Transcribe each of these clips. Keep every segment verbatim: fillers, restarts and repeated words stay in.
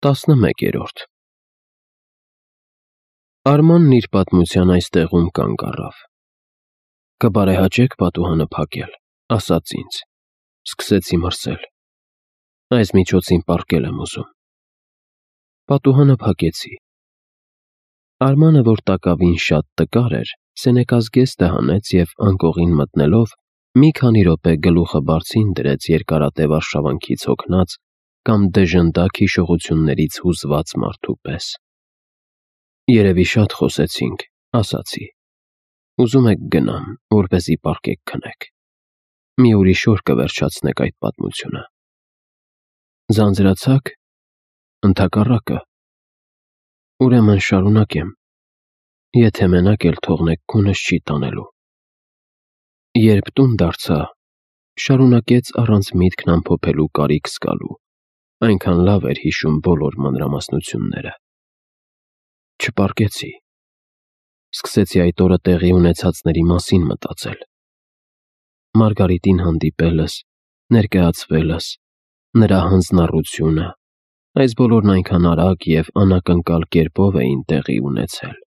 Տասնմեկերորդ Արմանն իր պատմության այս տեղում կանգ առավ։ «Կբարեհաճեք պատուհանը փակել», ասաց ինձ։ Սկսեցի մրսել։ Այս միջոցին պառկել եմ ուզում։ Պատուհանը փակեցի։ Արմանը, որ տակավին շատ տկար էր, սենեկազգեստը հանեց և անկողին մտնելով մի քանի րոպե գլուխը բարձին դրեց երկարատև արշավանքից հոգնած կամ դժնդակ հիշողություններից հուզված մարդու պես։ «Երևի շատ խոսեցինք», ասացի։ «Ուզում եք գնամ, որպեսզի պառկեք քնեք։ Մի ուրիշ օր կվերջացնեք այդ պատմությունը»։ Ձանձրացա՞ք։ Ընդհակառակը։ Ուրեմն շարունակեմ, եթե մենակ էլ թողնեք քունս չի տանելու։ Երբ տուն դարձա, շարունակեց առանց միտքն ամփոփելու կարիք զգալու, այնքան լավ էր հիշում բոլոր մանրամասնությունները։ Չպառկեցի։ Սկսեցի այդ օրը տեղի ունեցածների մասին մտածել։ Մարգարիտին հանդիպելս, ներկայացվելս, նրա հանձնառությունը, այս բոլորն այնքան արագ և անակնկալ կերպով էին տեղի ունեցել,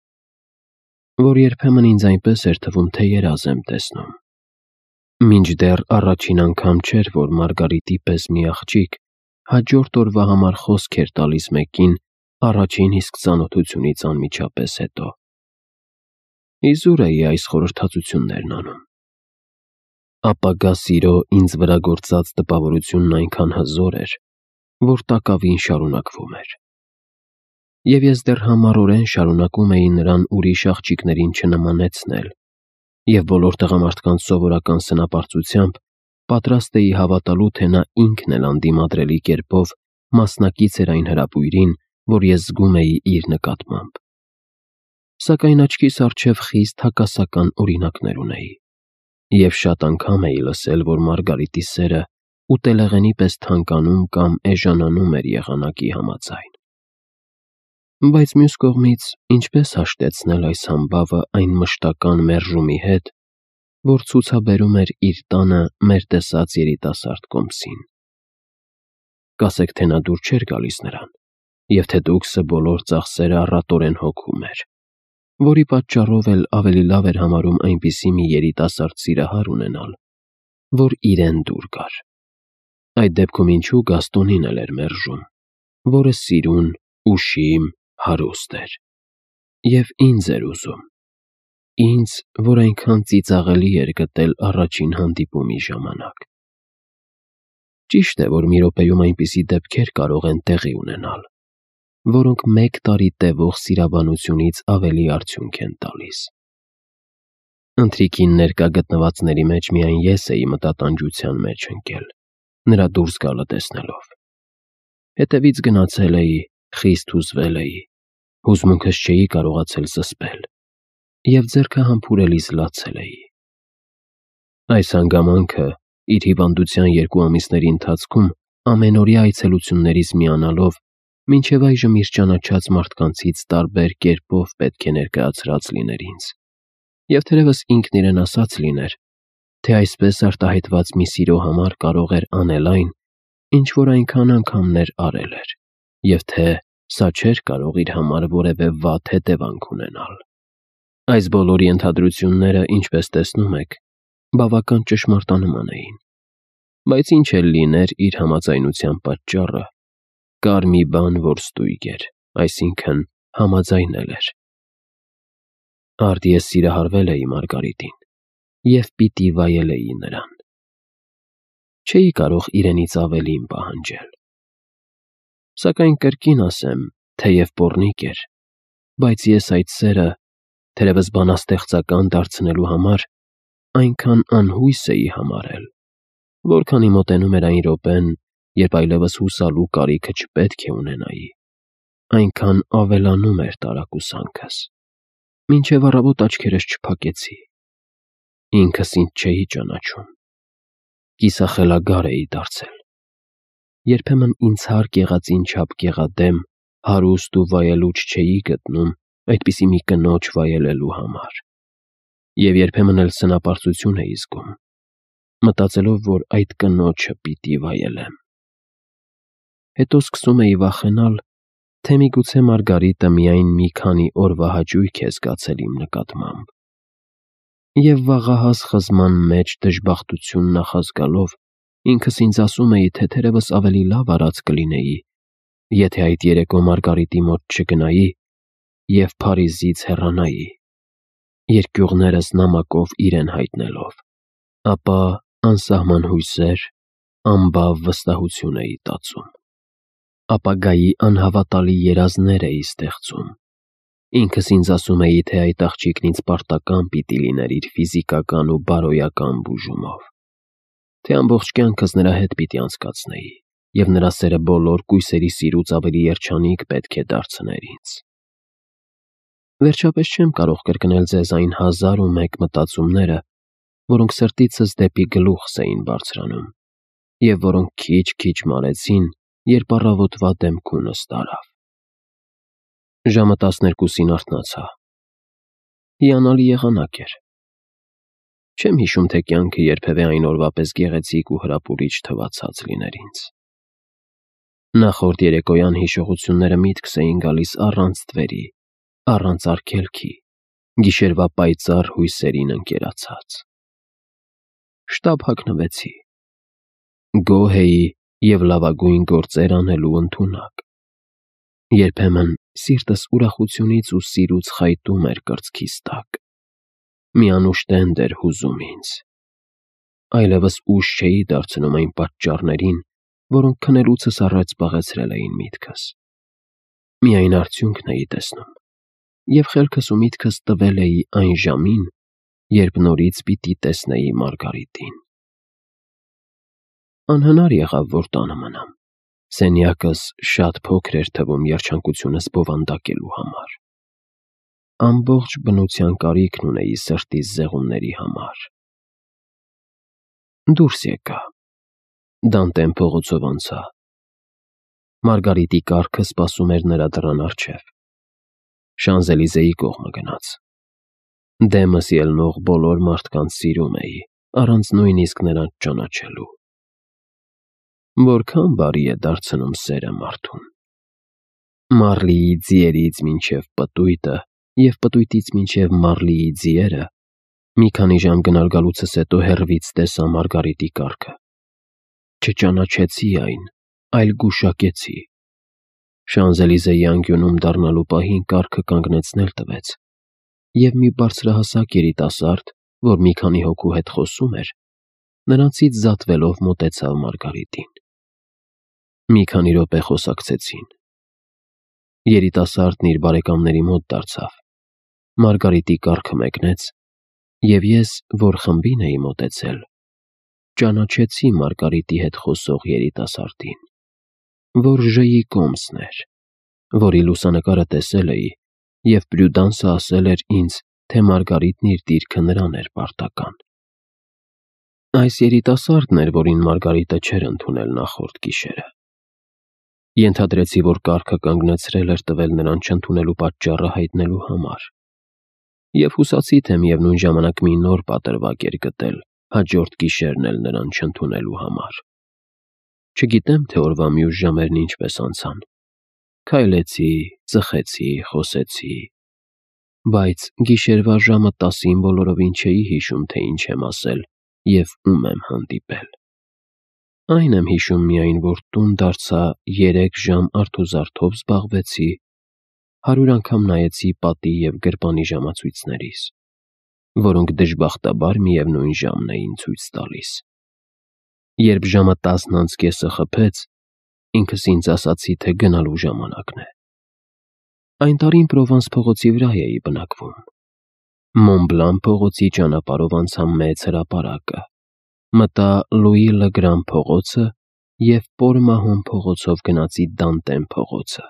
որ երբեմն ինձ այնպես էր թվում, թե երազ եմ տեսնում։ Մինչդեռ առաջին անգամ չէր, որ Մարգարիտի պես մի աղջիկ հաջորդ օրվա համար խոսք էր տալիս մեկին առաջին իսկ ծանոթությունից անմիջապես հետո։ Իզուր էի այս խորհրդածություններն անում։ Ապագա սիրո ինձ վրա գործած տպավորությունն այնքան հզոր էր, որ տակավին շարունակվում էր։ Եվ ես դեռ համառորեն շարունակում էի նրան ուրիշ աղջիկներին չնմանեցնել և բոլոր տղամարդկանց սովորական սնապարծությամբ պատրաստ էի հավատալու, թե նա ինքն էլ անդիմադրելի կերպով մասնակից էր այն հրապույրին, որ ես զգում էի իր նկատմամբ։ Սակայն աչքիս առջև խիստ հակասական օրինակներ ունեի, և շատ անգամ էի լսել, որ Մարգարիտի սերը ուտելեղենի պես թանկանում կամ էժանանում էր եղանակի համաձայն։ Բայց մյուս կողմից, ինչպե՞ս հաշտեցնել այս համբավը այն մշտական մերժումի հետ, որ ցուցաբերում էր իր տանը մեր տեսած երիտասարդ կոմսին։ Կասեք, թե նա դուր չէր գալիս նրան, և թե դուքսը բոլոր ծախսերը առատորեն հոգում էր, որի պատճառով էլ ավելի լավ էր համարում այնպիսի մի երիտասարդ սիրահար ունենալ, որ իրեն դուր գար։ Այդ դեպքում ինչու Գաստոնին էլ էր մերժում, որը սիրուն, ուշիմ, հարուստ էր։ Եվ ինձ էր ուզում։ Ինձ, որ այնքան ծիծաղելի էր գտել առաջին հանդիպումի ժամանակ։ Ճիշտ է, որ մի րոպեում այնպիսի դեպքեր կարող են տեղի ունենալ, որոնք մեկ տարի տևող սիրաբանությունից ավելի արդյունք են տալիս։ Ընթրիքին ներկա գտնվածների մեջ միայն ես էի մտատանջության մեջ ընկել, նրա դուրս գալը տեսնելով։ Հետևից գնացել էի, խիստ հուզվել էի, հուզմունքս չէի կարողացել զսպել և ձեռքը համբուրելիս լացել էի։ Այս հանգամանքը իր հիվանդության երկու ամիսների ընթացքում ամենօրյա այցելություններից միանալով մինչև այժմ իր ճանաչած մարդկանցից տարբեր կերպով պետք է ներկայացրած լիներ ինձ, և թերևս ինքն իրեն ասաց լիներ, թե այսպես արտահայտված մի սիրո համար կարող էր անել այն, ինչ որ այնքան անգամներ արել էր, և թե սա չէր կարող իր համար որևէ վատ հետևանք ունենալ։ Այս բոլորի ենթադրությունները, ինչպես տեսնում եք, բավական ճշմարտանման էին, բայց ինչ էլ լիներ իր համաձայնության պատճառը, կար մի բան, որ ստույգ էր, այսինքն համաձայնել էր։ Արդ ես սիրահարվել էի Մարգարիտին և պիտի վայելեի նրան։ Չէի կարող իրենից ավելին պահանջել։ Սակայն կրկին ասեմ, թեև պոռնիկ էր, բայց ես այդ սերը, թերևս բանաստեղծական դարձնելու համար, այնքան անհույս էի համարել, որքանի մոտենում էր այն րոպեն, երբ այլևս հուսալու կարիքը չպետք է ունենայի, այնքան ավելանում էր տարակուսանքս, մինչև առավոտ աչքերս չփակեցի։ Ինքս ինձ չէի ճանաչում։ Կիսախելագար էի դարձել։ Երբեմն ինձ հարկ եղածին չափ գեղադեմ, հարուստ ու վայելուչ չէի գտնում այդպիսի մի կնոջ վայելելու համար։ Եվ երբեմն էլ սնապարծություն էի զգում, մտածելով, որ այդ կնոջը պիտի վայելեմ։ Հետո սկսում էի վախենալ, թե միգուցե Մարգարիտը միայն մի քանի օրվա հաճույք է զգացել իմ նկատմամբ։ Եվ վաղահաս խզման մեջ դժբախտություն նախազգալով ինքս ինձ ասում էի, թե թերևս ավելի լավ արած կլինեի, եթե այդ երեկո Մարգարիտի մոտ չգնայի և Փարիզից հեռանայի, երկյուղներս նամակով իրեն հայտնելով, ապա անսահման հույսեր, անբավ վստահություն էի տածում, ապագայի անհավատալի երազներ էի ստեղծում, ինքս ինձ ասում էի, թե այդ աղջիկն ինձ պարտական պիտի լիներ իր ֆիզիկական ու բարոյական բուժումով, թե ամբողջ կյանքս նրա հետ պիտի անցկացնեի, և նրա սերը բոլոր կույսերի սիրուց ավելի երջանիկ պետք է դարձներ ինձ։ Վերջապես չեմ կարող կրկնել ձեզ այն հազար ու մեկ մտածումները, որոնք սրտիցս դեպի գլուխս էին բարձրանում, և որոնք քիչ-քիչ մարեցին, երբ առավոտվա դեմքունս տարավ։ Ժամը տասներկուսին արթնացա։ Հիանալի եղանակ էր։ Չեմ հիշում, թե կյանքը երբևէ այն օրվա պես գեղեցիկ ու հրապուրիչ թվացած լիներ ինձ։ Նախորդ երեկոյան հիշողությունները միտքս էին գալիս առանց թվերի, առանց արգելքի, գիշերվա պայծառ հույսերին ընկերացած։ Շտապ հագնվեցի։ Գոհ էի և լավագույն գործեր անելու ընդունակ։ Երբեմն սիրտս ուրախությունից ու սիրուց խայտում էր կրծքիս տակ։ Մի անուշտենդ էր հուզում ինձ։ Այլևս ուշ չէի դարձնում այն պատճառներին, որոնք քնելուցս առաջ զբաղեցրել էին միտքս։ Միայն արդյունքն էի տեսնում, և խելքս ու միտքս տվել էի այն ժամին, երբ նորից պիտի տեսնեի Մարգարիտին։ Անհնար եղավ, որ տանը մնամ։ Սենյակս շատ փոքր էր թվում երջանկությունս բովանդակելու համար։ Ամբողջ բնության կարիքն ունեի սրտիս զեղումների համար։ Դուրս եկա։ Դանտեն փողոցով անցա։ Մարգարիտի կառքը սպասում էր նրա դռան առջև։ Շանզելիզեի կողմը գնաց։ Դեմս ելնող բոլոր մարդկանց սիրում էի, առանց նույնիսկ նրանց ճանաչելու։ Որքան բարի է դարձնում սերը մարդուն։ Մարլիի ձիերից մինչև պտույտը և պտույտից մինչև Մարլիի ձիերը, մի քանի ժամ գնալ գալուցս հետո հեռվից տեսա Մարգարիտի կառքը։ Չճանաչեցի այն, այլ գուշակեցի։ Շանզելիզեի անկյունում դառնալու պահին կառքը կանգնեցնել տվեց, և մի բարձրահասակ երիտասարդ, որ մի քանի հոգու հետ խոսում էր, նրանցից զատվելով մոտեցավ Մարգարիտին։ Մի քանի րոպե խոսակցեցին։ Երիտասարդն իր բարեկամների մոտ դարձավ։ Մարգարիտի կառքը մեկնեց, և ես, որ խմբին էի մոտեցել, ճանաչեցի Մարգարիտի հետ խոսող երիտասարդին, որ Ժ-ի կոմսն էր, որի լուսանկարը տեսել էի, և Պրյուդանսը ասել էր ինձ, թե Մարգարիտն իր դիրքը նրան էր պարտական։ Այս երիտասարդն էր, որին Մարգարիտը չէր ընդունել նախորդ գիշերը։ Ենթադրեցի, որ կառքը կանգնեցրել էր տվել նրան չընդունելու պատճառը հայտնելու համար, և հուսացի, թե միևնույն ժամանակ մի նոր պատրվակ էր գտել հաջորդ գիշերն էլ նրան չընդունելու համար։ Չգիտեմ, թե օրվա մյուս ժամերն ինչպես անցան։ Քայլեցի, ծխեցի, խոսեցի, բայց գիշերվա ժամը տասին բոլորովին չէի հիշում, թե ինչ եմ ասել և ում եմ հանդիպել։ Այն եմ հիշում միայն, որ տուն դարձա երեք ժամ արթուզարդով զբաղվեցի, հարյուր անգամ նայեցի պատի և գրպանի ժամացույցներիս, որոնք դժբախտաբար միևնույն ժամն էին ցույց տալիս։ Երբ ժամը տասն անց կեսը խփեց, ինքս ինձ ասացի, թե գնալու ժամանակն է։ Այն տարին Պրովանս փողոցի վրա էի բնակվում։ Մոնբլան փողոցի ճանապարհով անցա մեծ հրապարակը, մտա Լուի Լեգրան փողոցը և Պոլ Մահոն փողոցով գնացի Դանտեն փողոցը։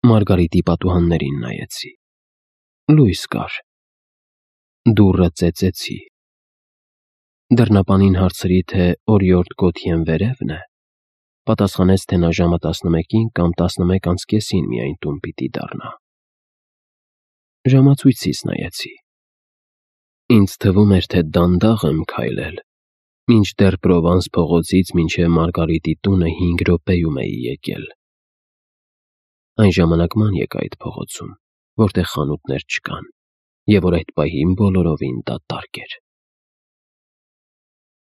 Մարգարիտի պատուհաններին նայեցի։ Լույս կար։ Դուռը ծեծեցի։ Դռնապանին հարցրի, թե օրիորդ Գոթյեն վերևն է։ Պատասխանեց, թե նա ժամը տասնմեկին կամ տասնմեկ անց կեսին միայն տուն պիտի դառնա։ Ժամացույցիս նայեցի։ Ինձ թվում էր, թե դանդաղ եմ քայլել, մինչդեռ Պրովանս փողոցից մինչև Մարգարիտի տունը հինգ րոպեում էի եկել։ Այն ժամանակ ման եկա այդ փողոցում, որտեղ խանութներ չկան, և որ այդ պահին բոլորովին դատարկ էր։